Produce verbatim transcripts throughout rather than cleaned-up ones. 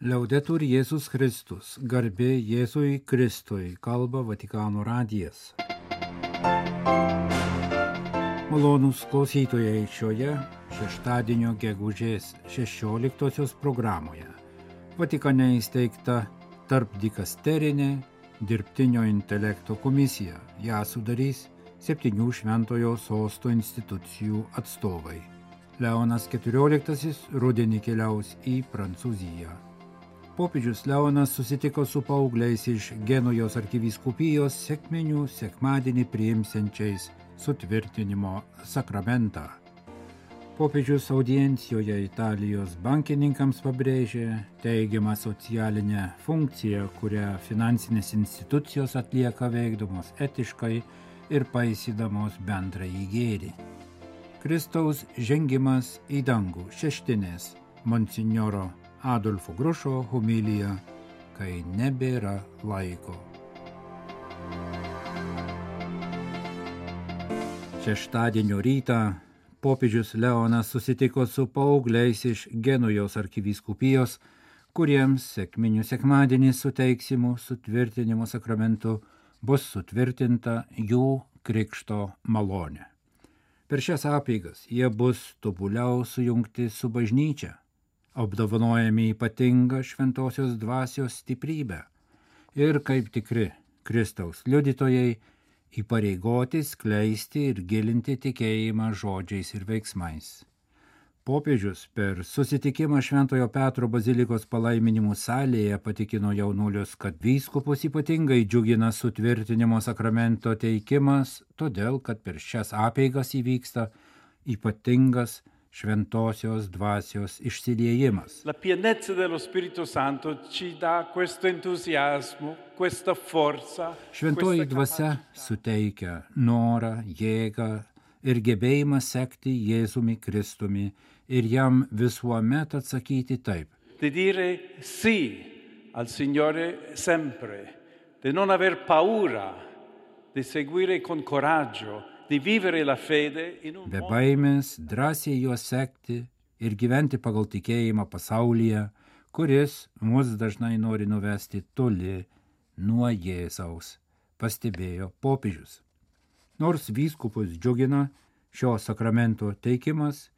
Liaudetur Jėzus Kristus, garbė Jėzui Kristui, kalba Vatikano radijas. Malonūs klausytojai šioje šeštadienio gegužės šešioliktosios programoje. Vatikane įsteigta tarpdikasterinė dirbtinio intelekto komisija. Ją sudarys septynių šventojo sosto institucijų atstovai. Leonas keturioliktasis rudenį keliaus į Prancūziją. Popiežius Leonas susitiko su paaugliais iš Genujos arkivyskupijos sekminių sekmadienį priimsiančiais sutvirtinimo sakramentą. Popiežius audiencijoje Italijos bankininkams pabrėžė teigiamą socialinę funkciją, kurią finansinės institucijos atlieka veikdamos etiškai ir paisydamos bendrąjį gėrį. Kristaus žengimas į dangų šeštinės monsinjoro Adolfo Grušo homilija, kai nebėra laiko. Šeštadienio rytą popiežius Leonas susitiko su paaugliais iš Genujos arkivyskupijos, kuriems sekminių sekmadienį suteiksimų sutvirtinimo sakramentu bus sutvirtinta jų krikšto malonė. Per šias apeigas jie bus tobuliau sujungti su bažnyčia, apdovanojami ypatingą šventosios dvasios stiprybę ir kaip tikri Kristaus liudytojai įpareigoti skleisti ir gilinti tikėjimą žodžiais ir veiksmais. Popiežius per susitikimą Šventojo Petro bazilikos palaiminimų salėje patikino jaunuolius, kad vyskupus ypatingai džiugina sutvirtinimo sakramento teikimas, todėl kad per šias apeigas įvyksta ypatingas šventosios dvasios išsiliejimas. La pienezza dello Spirito Santo ci dà questo entusiasmo, questa forza. Šventoji dvasia suteikia norą, jėgą ir gebėjimą sekti Jėzumi Kristumi ir jam visuomet atsakyti taip. Di dire sì al Signore sempre, di non aver paura, di seguire con coraggio, di vivere la fede in un Be baimės drąsiai juos sekti ir gyventi pagal tikėjimą pasaulyje, kuris mus dažnai nori nuvesti toli nuo Jėzaus, pastebėjo popiežius. Nors vyskupus džiugina šio sakramento teikimas,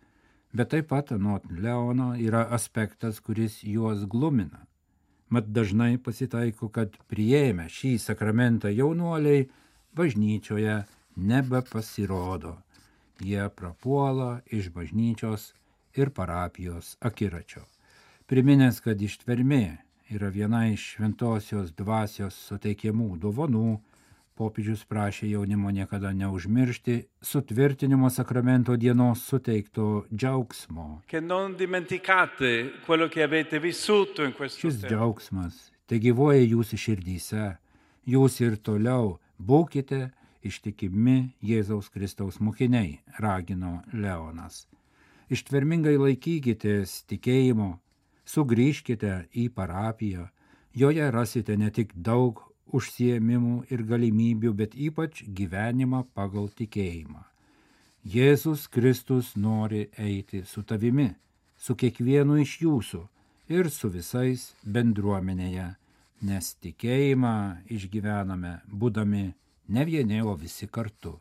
bet taip pat anot Leono yra aspektas, kuris juos glumina. Mat dažnai pasitaiko, kad priėmę šį sakramentą jaunuoliai bažnyčioje nebepasirodo. Jie prapuola iš bažnyčios ir parapijos akiračio. Priminęs, kad ištvermė yra viena iš šventosios dvasios suteikiamų dovanų, popiežius prašė jaunimo niekada neužmiršti sutvirtinimo sakramento dienos suteikto džiaugsmo. Che non dimenticate quello che avete vissuto in questo Šis tempo. džiaugsmas te gyvoja jūsų širdyse. Jūs ir toliau būkite ištikimi Jėzaus Kristaus mokiniai, ragino Leonas. Ištvermingai laikykitės tikėjimo, sugrįžkite į parapiją. Joje rasite ne tik daug užsiėmimų ir galimybių, bet ypač gyvenimą pagal tikėjimą. Jėzus Kristus nori eiti su tavimi, su kiekvienu iš jūsų ir su visais bendruomenėje, nes tikėjimą išgyvename būdami ne vieni, o visi kartu.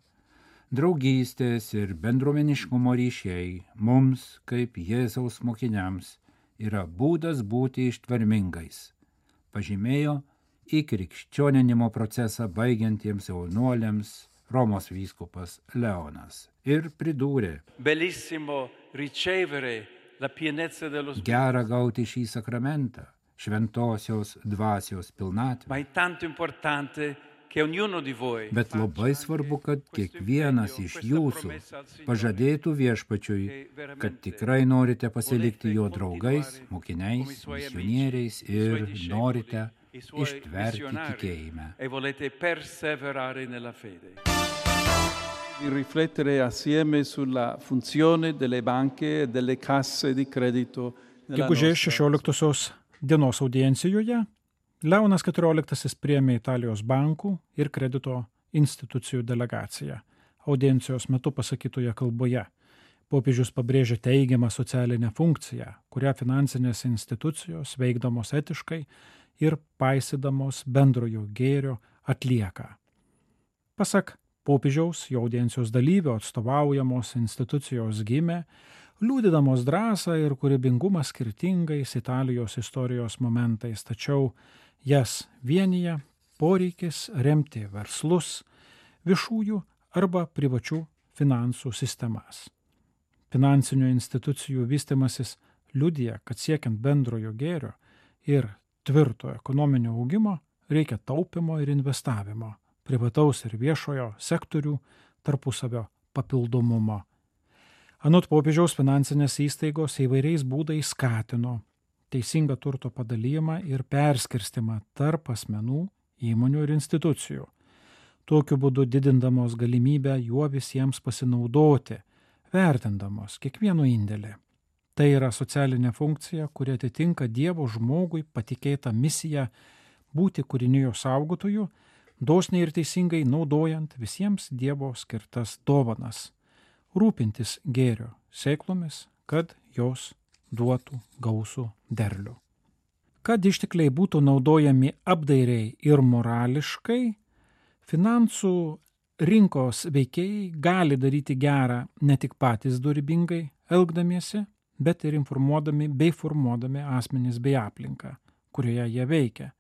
Draugystės ir bendruomeniškumo ryšiai mums, kaip Jėzaus mokiniams, yra būdas būti ištvermingais, pažymėjo į krikščioninimo procesą baigiantiems jaunuoliams Romos vyskupas Leonas ir pridūrė: Bellissimo ricevere la pienezza dello Spirito, gera gauti šį sakramentą, šventosios dvasios pilnatvę. ma è tanto importante che ognuno di voi Bet labai svarbu, kad kiekvienas iš jūsų pažadėtų viešpačiui, kad tikrai norite pasilikti jo draugais, mokiniais, misionieriais ir norite ištverti tikėjime. e volete perseverare nella fede. Di riflettere assieme sulla funzione delle banche e delle casse di credito nella Gegužės nostra šešioliktosios dienos audiencijoje Leonas keturioliktasis priėmė Italijos bankų ir kredito institucijų delegaciją. Audiencijos metu pasakytoje kalboje Popiežius pabrėžia teigiamą socialinę funkciją, kurią finansinės institucijos veikdamos etiškai ir paisydamos bendrojo gėrio atlieka. Pasak popiežiaus, jo audiencijos dalyvio atstovaujamos institucijos gimė, liudydamos drąsą ir kūrybingumą skirtingais Italijos istorijos momentais, tačiau jas vienyje poreikis remti verslus, viešųjų arba privačių finansų sistemas. Finansinių institucijų vystimasis liudija, kad siekiant bendrojo gėrio ir tvirto ekonominio augimo reikia taupimo ir investavimo, privataus ir viešojo sektorių tarpusavio papildomumo. Anot popiežiaus finansinės įstaigos įvairiais būdais skatino teisingą turto padalijimą ir perskirstimą tarp asmenų, įmonių ir institucijų, tokiu būdu didindamos galimybę juo visiems pasinaudoti, vertindamos kiekvieno indėlį. Tai yra socialinė funkcija, kuri atitinka Dievo žmogui patikėtą misiją būti kūrinijos saugotoju, dosniai ir teisingai naudojant visiems Dievo skirtas dovanas, rūpintis gėrio sėklomis, kad jos duotų gausų derlių. Kad ištekliai būtų naudojami apdairiai ir morališkai, finansų rinkos veikėjai gali daryti gerą ne tik patys dorybingai elgdamiesi, bet ir informuodami bei formuodami asmenis bei aplinką, kurioje jie veikia,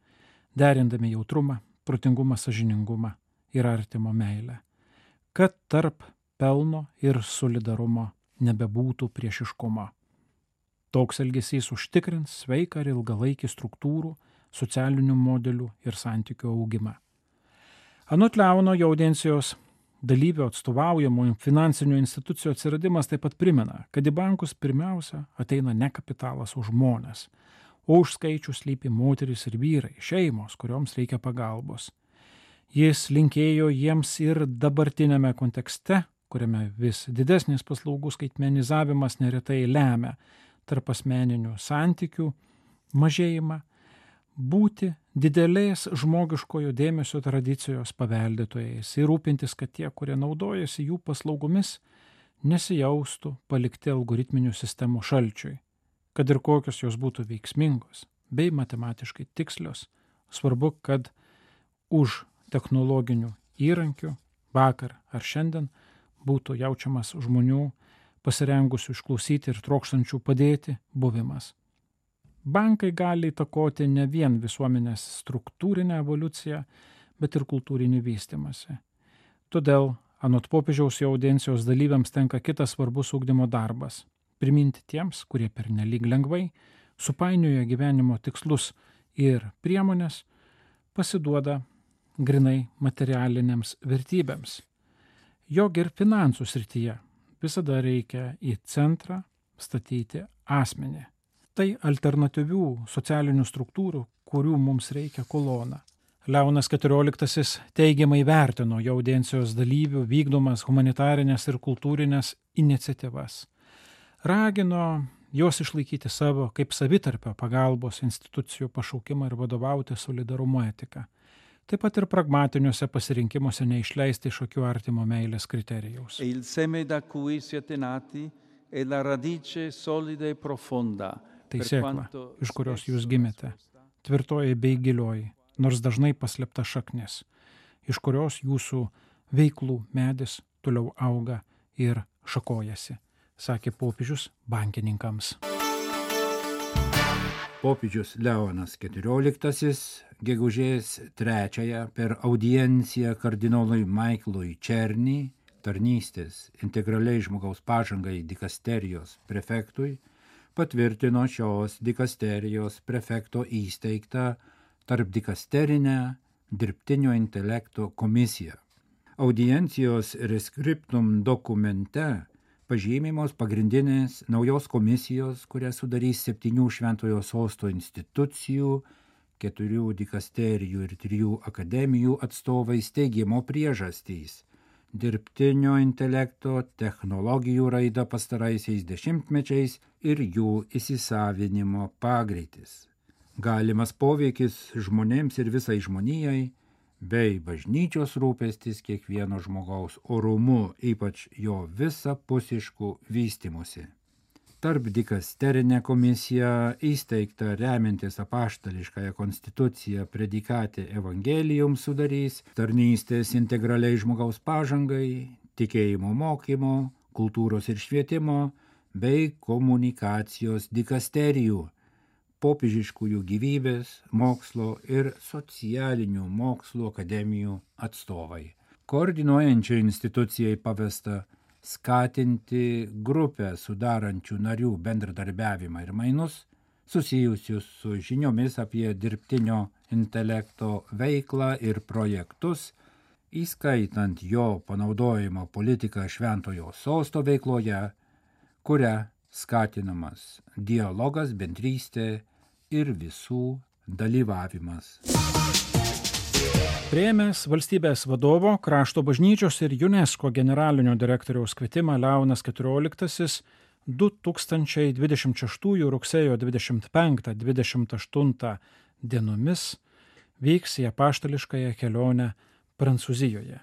derindami jautrumą, protingumą, sąžiningumą ir artimo meilę, kad tarp pelno ir solidarumo nebebūtų priešiškumo. Toks elgesys užtikrins sveiką ir ilgalaikį struktūrų, socialinių modelių ir santykių augimą. Anot Leono, jo audiencijos dalyvio atstovaujamų finansinių institucijų atsiradimas taip pat primena, kad į bankus pirmiausia ateina ne kapitalas, o žmonės, o už skaičių slypi moterys ir vyrai, šeimos, kurioms reikia pagalbos. Jis linkėjo jiems ir dabartinėme kontekste, kuriame vis didesnis paslaugų skaitmenizavimas neretai lemia tarp asmeninių santykių mažėjimą, būti didelės žmogiškojo dėmesio tradicijos paveldėtojais ir rūpintis, kad tie, kurie naudojasi jų paslaugomis, nesijaustų palikti algoritminių sistemų šalčiui, kad ir kokios jos būtų veiksmingos bei matematiškai tikslios. Svarbu, kad už technologinių įrankių vakar ar šiandien būtų jaučiamas žmonių pasirengusių išklausyti ir trokštančių padėti buvimas. Bankai gali įtakoti ne vien visuomenės struktūrinę evoliuciją, bet ir kultūrinį vystimąsi. Todėl, anot popiežiaus, jo audiencijos dalyviams tenka kitas svarbus ugdymo darbas – priminti tiems, kurie pernelyg lengvai supainioja gyvenimo tikslus ir priemonės, pasiduoda grinai materialinėms vertybėms. Jog ir finansų srityje visada reikia į centrą statyti asmenį. Tai alternatyvių socialinių struktūrų, kurių mums reikia kolona. Leonas keturioliktasis teigiamai vertino jo audiencijos dalyvių vykdomas humanitarinės ir kultūrinės iniciatyvas. Ragino jos išlaikyti savo kaip savitarpio pagalbos institucijų pašaukimą ir vadovauti solidarumo etiką. Taip pat ir pragmatiniuose pasirinkimuose neišleisti iš akių artimo meilės kriterijaus. E il seme da cui siete nati è la radice solida e profonda. Tai sėkla, iš kurios jūs gimėte, tvirtoji bei gilioji, nors dažnai paslėpta šaknis, iš kurios jūsų veiklų medis toliau auga ir šakojasi, sakė popiežius bankininkams. Popiežius Leonas keturioliktasis gegužės trečiąją per audienciją kardinolui Maiklui Černy, tarnystės integraliai žmogaus pažangai dikasterijos prefektui, patvirtino šios dikasterijos prefekto įsteigtą tarpdikasterinę dirbtinio intelekto komisiją. Audiencijos reskriptum dokumente pažymimos pagrindinės naujos komisijos, kurią sudarys septynių šventojo sosto institucijų, keturių dikasterijų ir trijų akademijų atstovai steigimo priežastys. Dirbtinio intelekto technologijų raida pastaraisiais dešimtmečiais ir jų įsisavinimo pagreitis. Galimas poveikis žmonėms ir visai žmonijai bei bažnyčios rūpestis kiekvieno žmogaus orumu, ypač jo visapusišku vystimusi. Tarp dikasterinė komisija įsteigta remiantis apaštališkąją konstituciją predikatė evangelijum sudarys tarnystės integraliai žmogaus pažangai, tikėjimo mokymo, kultūros ir švietimo bei komunikacijos dikasterijų, popiežiškųjų gyvybės, mokslo ir socialinių mokslų akademijų atstovai. Koordinuojančiai institucijai pavesta skatinti grupę sudarančių narių bendradarbiavimą ir mainus, susijusius su žiniomis apie dirbtinio intelekto veiklą ir projektus, įskaitant jo panaudojimo politiką Šventojo Sosto veikloje, kuria skatinamas dialogas, bendrystė ir visų dalyvavimas. Priėmęs valstybės vadovo, Krašto bažnyčios ir UNESCO generalinio direktoriaus kvietimą Leonas keturioliktasis du tūkstančiai dvidešimt šeštųjų rugsėjo dvidešimt penktą dvidešimt aštuntą dienomis vyks į apaštališkąją kelionę Prancūzijoje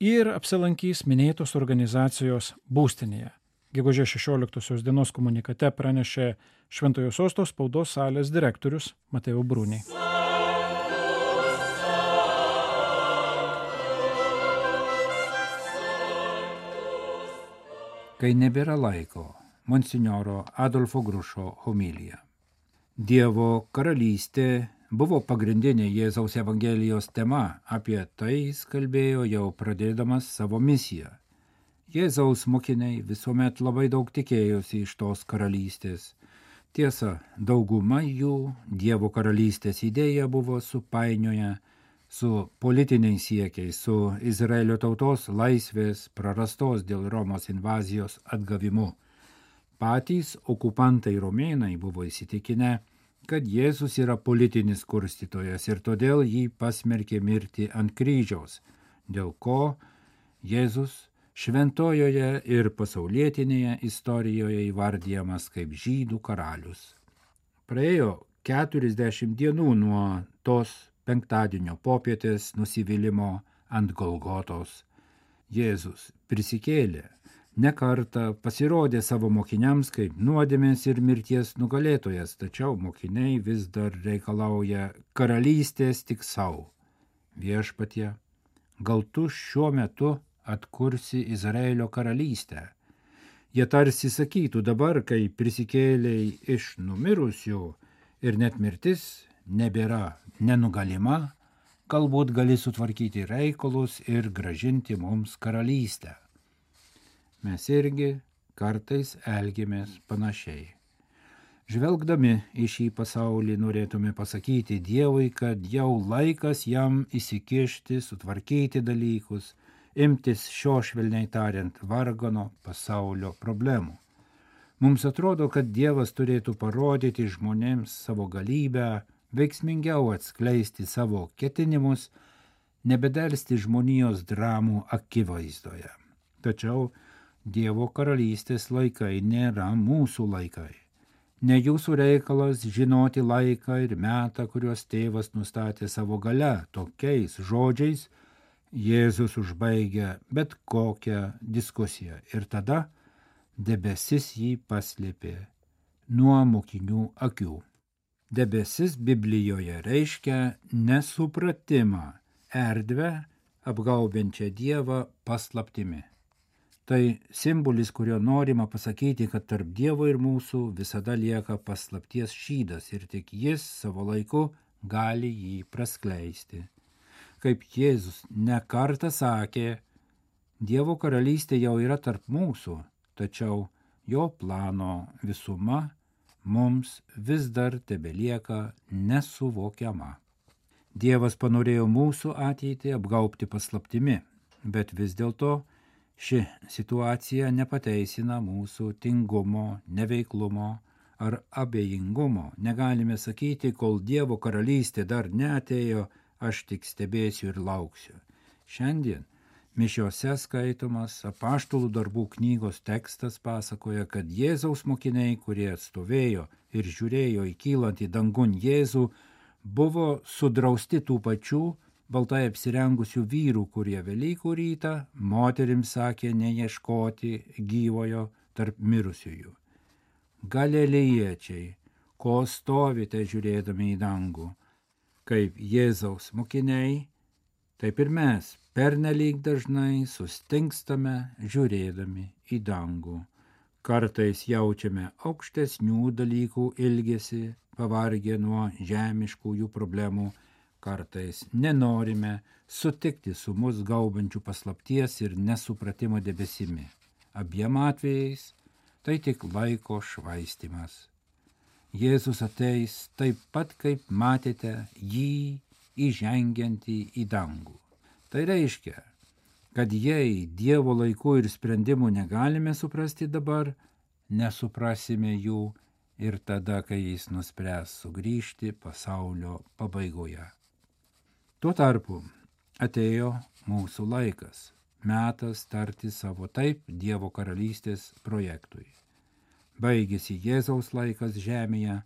ir apsilankys minėtos organizacijos būstinėje. Gegužės šešioliktosios dienos komunikate pranešė Šventojo Sosto spaudos salės direktorius Mateo Bruni. Kai nebėra laiko, monsinjoro Adolfo Grušo homilija. Dievo karalystė buvo pagrindinė Jėzaus Evangelijos tema, apie tai jis kalbėjo jau pradėdamas savo misiją. Jėzaus mokiniai visuomet labai daug tikėjosi iš tos karalystės. Tiesa, dauguma jų Dievo karalystės idėja buvo supainioję su politiniais siekiais, su Izraelio tautos laisvės prarastos dėl Romos invazijos atgavimu. Patys okupantai romėnai buvo įsitikinę, kad Jėzus yra politinis kurstytojas ir todėl jį pasmerkė mirti ant kryžiaus, dėl ko Jėzus šventojoje ir pasaulietinėje istorijoje įvardijamas kaip žydų karalius. Praėjo keturiasdešimt dienų nuo tos penktadienio popietės nusivylimo ant Golgotos. Jėzus prisikėlė, ne kartą pasirodė savo mokiniams kaip nuodėmės ir mirties nugalėtojas, tačiau mokiniai vis dar reikalauja karalystės tik savo. Viešpatie, gal tu šiuo metu atkursi Izraelio karalystę? Jie tarsi sakytų dabar, kai prisikėlei iš numirusių ir net mirtis nebėra nenugalima, galbūt gali sutvarkyti reikalus ir grąžinti mums karalystę. Mes irgi kartais elgiamės panašiai. Žvelgdami į šį pasaulį norėtume pasakyti Dievui, kad jau laikas jam įsikišti, sutvarkyti dalykus, imtis šio švelniai tariant vargano pasaulio problemų. Mums atrodo, kad Dievas turėtų parodyti žmonėms savo galybę, veiksmingiau atskleisti savo ketinimus, nebedelsti žmonijos dramų akivaizdoje. Tačiau Dievo karalystės laikai nėra mūsų laikai. Ne jūsų reikalas žinoti laiką ir metą, kuriuos tėvas nustatė savo gale. Tokiais žodžiais Jėzus užbaigia bet kokią diskusiją ir tada debesis jį paslėpė nuo mokinių akių. Debesis Biblijoje reiškia nesupratimą, erdvę apgaubiančią Dievą paslaptimi. Tai simbolis, kurio norima pasakyti, kad tarp Dievo ir mūsų visada lieka paslapties šydas ir tik jis savo laiku gali jį praskleisti. Kaip Jėzus ne kartą sakė, Dievo karalystė jau yra tarp mūsų, tačiau jo plano visuma mums vis dar tebelieka nesuvokiama. Dievas panorėjo mūsų ateitį apgaubti paslaptimi, bet vis dėlto ši situacija nepateisina mūsų tingumo, neveiklumo ar abejingumo. Negalime sakyti, kol Dievo karalystė dar neatėjo, aš tik stebėsiu ir lauksiu. Šiandien mišiose skaitomas Apaštalų darbų knygos tekstas pasakoja, kad Jėzaus mokiniai, kurie atstovėjo ir žiūrėjo į kylantį dangun Jėzų, buvo sudrausti tų pačių baltai apsirengusių vyrų, kurie Velykų rytą moterims sakė neieškoti gyvojo tarp mirusiųjų. Galilėjiečiai, ko stovite žiūrėdami į dangų, kaip Jėzaus mokiniai, taip ir mes pernelyg dažnai sustingstame žiūrėdami į dangų. Kartais jaučiame aukštesnių dalykų ilgesį, pavargę nuo žemiškųjų problemų, kartais nenorime sutikti su mus gaubančių paslapties ir nesupratimo debesimi. Abiem atvejais tai tik laiko švaistymas. Jėzus ateis taip pat, kaip matėte jį įžengiantį į dangų. Tai reiškia, kad jei Dievo laikų ir sprendimų negalime suprasti dabar, nesuprasime jų ir tada, kai jis nuspręs sugrįžti pasaulio pabaigoje. Tuo tarpu atėjo mūsų laikas, metas tarti savo taip Dievo karalystės projektui. Baigėsi Jėzaus laikas žemėje,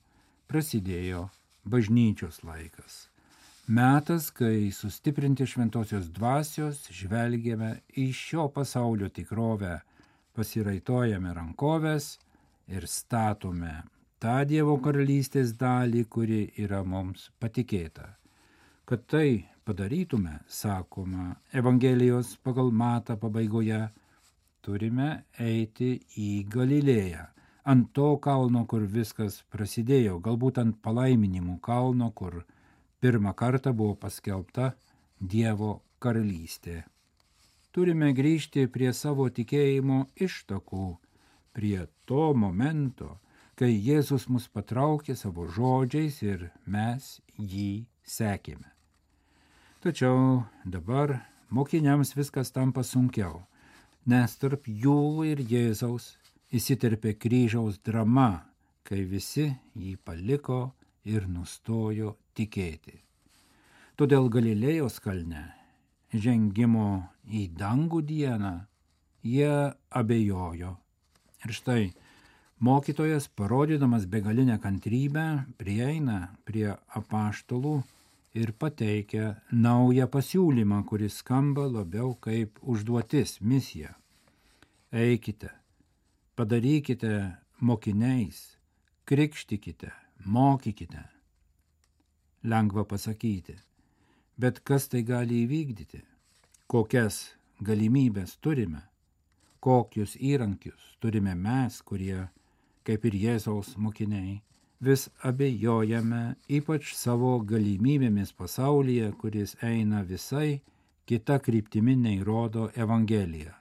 prasidėjo bažnyčios laikas. Metas, kai sustiprinti šventosios dvasios žvelgiame į šio pasaulio tikrovę, pasiraitojame rankovės ir statome tą Dievo karalystės dalį, kuri yra mums patikėta. Kad tai padarytume, sakoma Evangelijos pagal Matą pabaigoje, turime eiti į Galilėją, ant to kalno, kur viskas prasidėjo, galbūt ant palaiminimų kalno, kur pirmą kartą buvo paskelbta Dievo karalystė. Turime grįžti prie savo tikėjimo ištakų, prie to momento, kai Jėzus mus patraukė savo žodžiais ir mes jį sekėme. Tačiau dabar mokiniams viskas tampa sunkiau, nes tarp jų ir Jėzaus įsiterpė kryžiaus drama, kai visi jį paliko ir nustojo tikėti. Todėl Galilėjos kalne, žengimo į dangų dieną, jie abejojo. Ir štai mokytojas, parodydamas begalinę kantrybę, prieina prie apaštalų ir pateikia naują pasiūlymą, kuris skamba labiau kaip užduotis, misija. Eikite, padarykite mokiniais, krikštykite, mokykite. Lengva pasakyti, bet kas tai gali įvykdyti? Kokias galimybės turime? Kokius įrankius turime mes, kurie, kaip ir Jėzaus mokiniai, vis abejojame ypač savo galimybėmis pasaulyje, kuris eina visai kita kryptimi nei rodo Evangelija.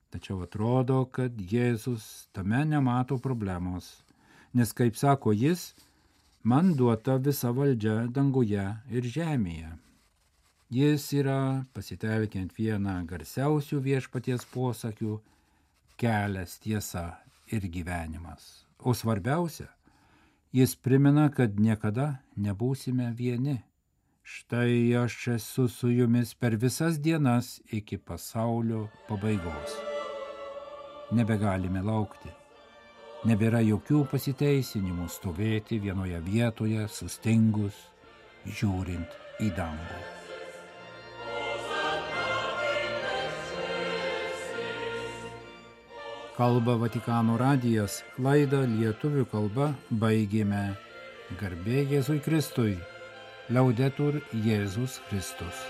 Tačiau atrodo, kad Jėzus tame nemato problemos, nes, kaip sako jis, man duota visa valdžia danguje ir žemėje. Jis yra, pasitelkiant vieną garsiausių viešpaties posakių, kelias, tiesa ir gyvenimas. O svarbiausia, jis primena, kad niekada nebūsime vieni. Štai aš esu su jumis per visas dienas iki pasaulio pabaigos. Nebegalime laukti. Nebėra jokių pasiteisinimų stovėti vienoje vietoje, sustingus, žiūrint į dangų. Kalba Vatikano radijas, laidą lietuvių kalba baigėme. Garbė Jėzui Kristui, Laudetur Jėzus Kristus.